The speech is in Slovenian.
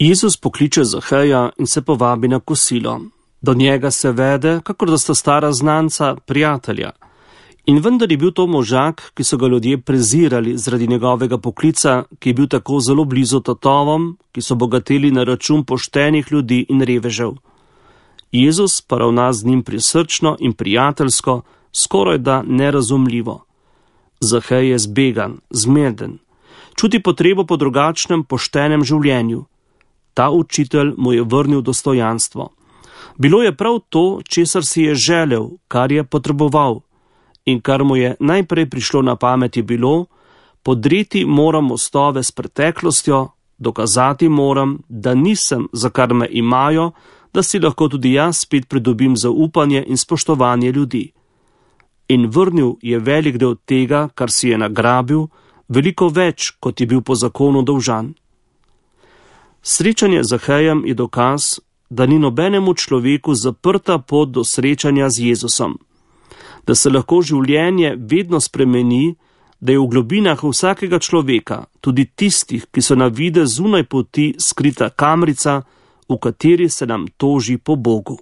Jezus pokliče Zaheja in se povabi na kosilo. Do njega se vede, kakor da sta stara znanca, prijatelja. In vendar je bil to možak, ki so ga ljudje prezirali zaradi njegovega poklica, ki je bil tako zelo blizu tatovom, ki so bogateli na račun poštenih ljudi in revežev. Jezus pa ravna z njim prisrčno in prijateljsko, skoraj da nerazumljivo. Zahej je zbegan, zmeden, čuti potrebo po drugačnem, poštenem življenju. Ta učitelj mu je vrnil dostojanstvo. Bilo je prav to, česar si je želel, kar je potreboval. In kar mu je najprej prišlo na pamet je bilo, podreti moram mostove s preteklostjo, dokazati moram, da nisem, za kar me imajo, da si lahko tudi jaz spet pridobim zaupanje in spoštovanje ljudi. In vrnil je velik del tega, kar si je nagrabil, veliko več, kot je bil po zakonu dolžan. Srečanje z Zahejem je dokaz, da ni nobenemu človeku zaprta pot do srečanja z Jezusom. Da se lahko življenje vedno spremeni, da je v globinah vsakega človeka, tudi tistih, ki so na videz zunaj poti, skrita kamrica, v kateri se nam toži po Bogu.